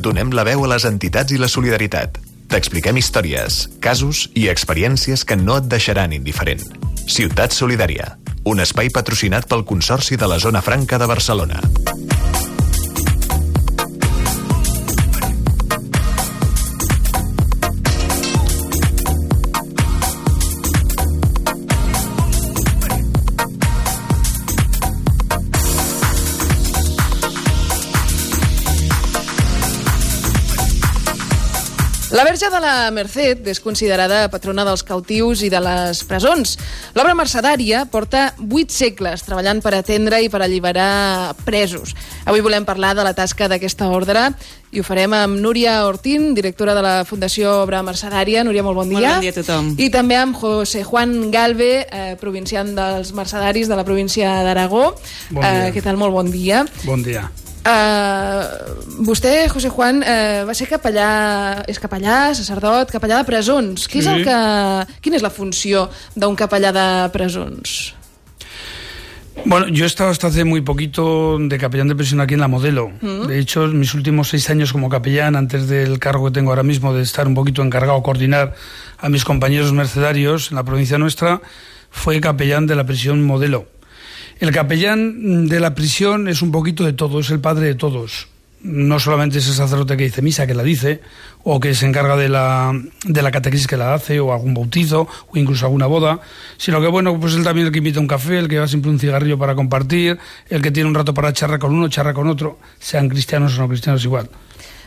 Donem la veu a les entitats i la solidaritat. T'expliquem històries, casos i experiències que no et deixaran indiferent. Ciutat Solidària, un espai patrocinat pel Consorci de la Zona Franca de Barcelona. La Verge de la Merced és considerada patrona dels cautius i de les presons. L'obra mercedària porta 8 segles treballant per atendre i per alliberar presos. Avui volem parlar de la tasca d'aquesta ordre i ho farem amb Núria Ortín, directora de la Fundació Obra Mercedària. Núria, molt bon dia. Molt bon dia a tothom. I també amb José Juan Galve, provincial dels mercedaris de la província d'Aragó. Bon dia. Què tal? Molt bon dia. Bon dia. Vostè, José Juan, va ser és capellà, sacerdot, capellà de presons. Sí. Quina és la funció d'un capellà de presons? Bueno, yo he estado hasta hace muy poquito de capellán de prisión aquí en La Modelo. De hecho, mis últimos 6 años como capellán, antes del cargo que tengo ahora mismo de estar un poquito encargado de coordinar a mis compañeros mercedarios en la provincia nuestra, fue capellán de la prisión Modelo. El capellán de la prisión es un poquito de todo, es el padre de todos. No solamente es el sacerdote que dice misa, que la dice, o que se encarga de la catequesis que la hace, o algún bautizo, o incluso alguna boda, sino que, bueno, pues él también el que invita un café, el que lleva siempre un cigarrillo para compartir, el que tiene un rato para charlar con uno, charlar con otro, sean cristianos o no cristianos igual.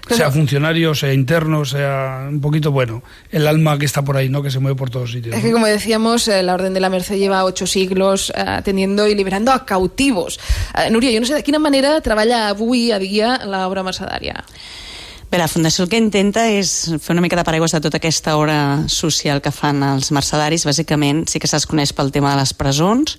Sea funcionario, sea interno, sea un poquito, bueno, el alma que está por ahí, ¿no? Que se mueve por todos sitios, ¿no? Es que, como decíamos, la Orden de la Merced lleva 8 siglos atendiendo y liberando a cautivos. Núria, jo no sé de quina manera treballa avui a dia l'obra mercedària. Bé, la Fundació el que intenta és fer una mica de paraigües de tota aquesta obra social que fan els mercedaris. Bàsicament sí que se'ls coneix pel tema de les presons,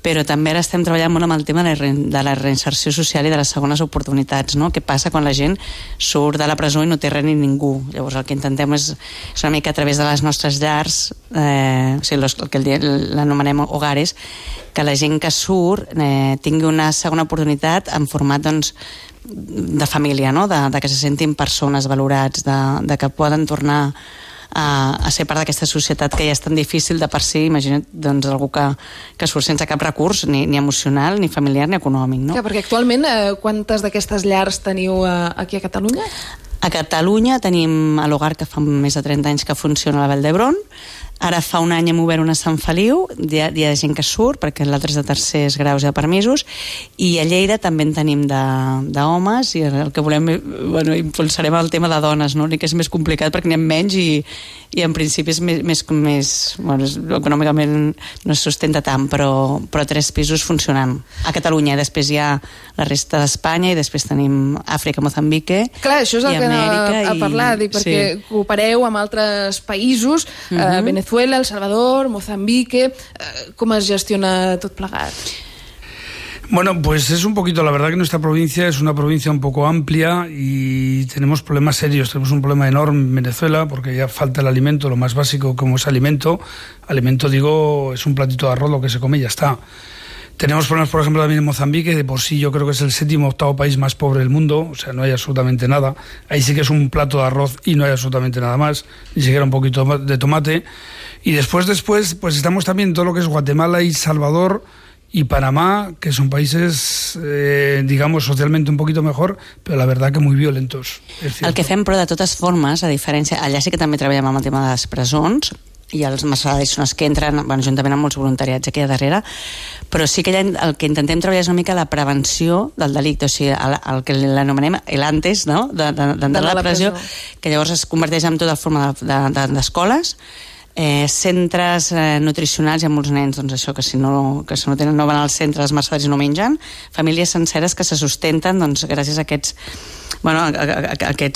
però també ara estem treballant molt amb el tema de la reinserció social i de les segones oportunitats, no? Què passa quan la gent surt de la presó i no té res ni ningú? Llavors el que intentem és una mica a través de les nostres llars, o sigui, el que l'anomenem hogares, que la gent que surt tingui una segona oportunitat en format, doncs, de família, no? De que se sentin persones valorats, de que poden tornar a ser part d'aquesta societat que ja és tan difícil de per si. Imagina't, doncs, algú que surt sense cap recurs, ni emocional, ni familiar, ni econòmic, no? Clar, perquè actualment quantes d'aquestes llars teniu aquí a Catalunya? A Catalunya tenim a l'Hogar, que fa més de 30 anys que funciona a la Vall d'Hebron. Ara fa un any hem obert una a Sant Feliu, hi ha gent que surt, perquè l'altre és de tercers graus i de permisos, i a Lleida també en tenim d'homes, i el que volem, bueno, impulsarem el tema de dones, no? Que és més complicat perquè n'hi ha menys i en principi és més bueno, econòmicament no es sustenta tant, però 3 pisos funcionant a Catalunya. Després hi ha la resta d'Espanya i després tenim Àfrica, Moçambique. Clar, això és el que anava a parlar, perquè coopereu amb altres països, Venezuela, El Salvador, Mozambique. ¿Cómo es gestiona tot plegat? Bueno, pues es un poquito, la verdad que nuestra provincia es una provincia un poco amplia y tenemos problemas serios. Tenemos un problema enorme en Venezuela porque ya falta el alimento, lo más básico como es alimento. Alimento, digo, es un platito de arroz, lo que se come y ya está. Tenemos problemas, por ejemplo, también en Mozambique. De por sí yo creo que es el 7º o 8º país más pobre del mundo, o sea, no hay absolutamente nada. Ahí sí que es un plato de arroz y no hay absolutamente nada más, ni siquiera un poquito de tomate. Y después, pues estamos también en todo lo que es Guatemala y Salvador y Panamá, que son países, digamos, socialmente un poquito mejor, però la verdad que muy violentos. El que fem, però, de totes formes, a diferència, allà sí que també treballem amb el tema de les presons, i els mercedaris són els que entren, bueno, juntament amb molts voluntariats aquí a darrere, però sí que el que intentem treballar és una mica la prevenció del delicte, o sigui, el que l'anomenem l'antes, no?, d'entrar a la presó, que llavors es converteix en tota forma d'escoles, centres nutricionals. Hi ha molts nens, doncs això, que si no van al centre, els mercedaris no mengen, famílies senceres que se sustenten, doncs, gràcies a aquests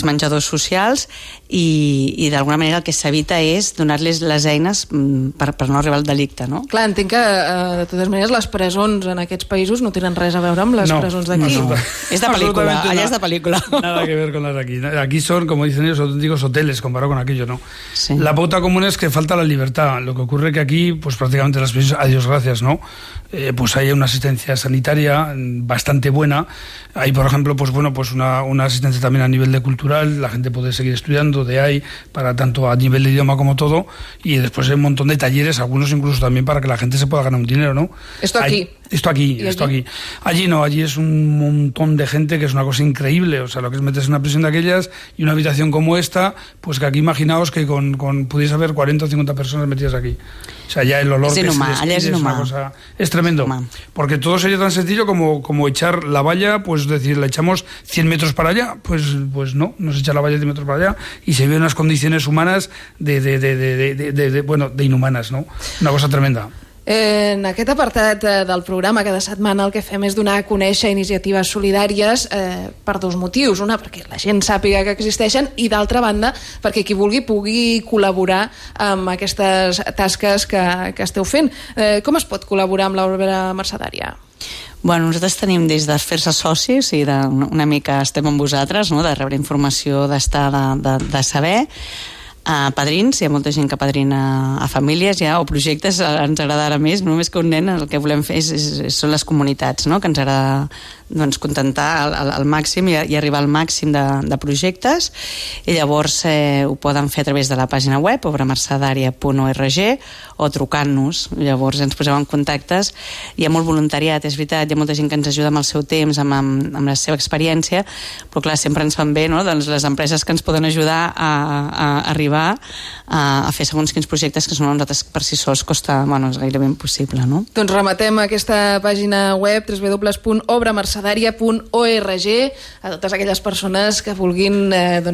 menjadors socials, i d'alguna manera el que s'evita és donar-les les eines per no arribar al delicte, no? Clar, entenc que de totes maneres les presons en aquests països no tenen res a veure amb les presons d'aquí. No. És de pel·lícula, allà és de pel·lícula. Nada que ver con las de aquí. Aquí son, como dicen ellos, auténticos hoteles comparado con aquello, ¿no? Sí. La pauta común es que falta falta la libertad. Lo que ocurre que aquí, pues prácticamente las pensiones, a Dios gracias, ¿no? Pues hay una asistencia sanitaria bastante buena. Hay, por ejemplo, pues bueno, pues una asistencia también a nivel de cultural, la gente puede seguir estudiando, para tanto a nivel de idioma como todo, y después hay un montón de talleres, algunos incluso también para que la gente se pueda ganar un dinero, ¿no? Esto aquí. Esto aquí. Allí no, allí es un montón de gente, que es una cosa increíble. O sea, lo que es meterse en una prisión de aquellas y una habitación como esta, pues que aquí imaginaos que con pudiese haber 40 o 50 personas metidas aquí. O sea, ya el olor es que inhumano, se despide es una cosa... Es tremendo. Porque todo sería tan sencillo como echar la valla, pues decir, le echamos 100 metros para allá, pues no se echa la valla 100 metros para allá y se ve unas condiciones humanas de inhumanas, ¿no? Una cosa tremenda. En aquest apartat del programa, cada setmana el que fem és donar a conèixer iniciatives solidàries per dos motius. Una, perquè la gent sàpiga que existeixen, i d'altra banda, perquè qui vulgui pugui col·laborar amb aquestes tasques que esteu fent. Com es pot col·laborar amb l'obra mercedària? Bueno, nosaltres tenim des de fer-se socis i una mica estem amb vosaltres, no? De rebre informació, d'estar, de saber. Padrins, hi ha molta gent que padrina a famílies o projectes, ens agradarà més, només que un nen, el que volem fer són les comunitats, no? Que ens agrada contentar al màxim i arribar al màxim de projectes, i llavors ho poden fer a través de la pàgina web obramercedària.org o trucant-nos, llavors ens posem en contactes. Hi ha molt voluntariat, és veritat, hi ha molta gent que ens ajuda amb el seu temps, amb la seva experiència, però clar, sempre ens fan bé, no? Doncs les empreses que ens poden ajudar a arribar a fer segons quins projectes que són a nosaltres per si sols costa, és gairebé impossible, no? Doncs rematem aquesta pàgina web www.obramercedària.org a totes aquelles persones que vulguin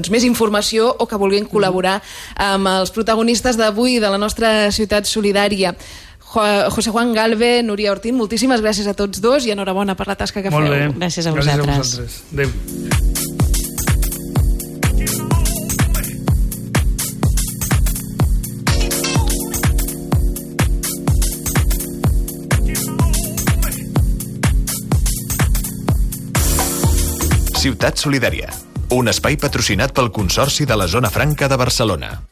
més informació o que vulguin col·laborar amb els protagonistes d'avui de la nostra ciutat solidària. José Juan Galve, Núria Ortín, moltíssimes gràcies a tots dos i enhorabona per la tasca que feu. Molt bé. Gràcies a vosaltres. Adéu. Ciutat Solidària, un espai patrocinat pel Consorci de la Zona Franca de Barcelona.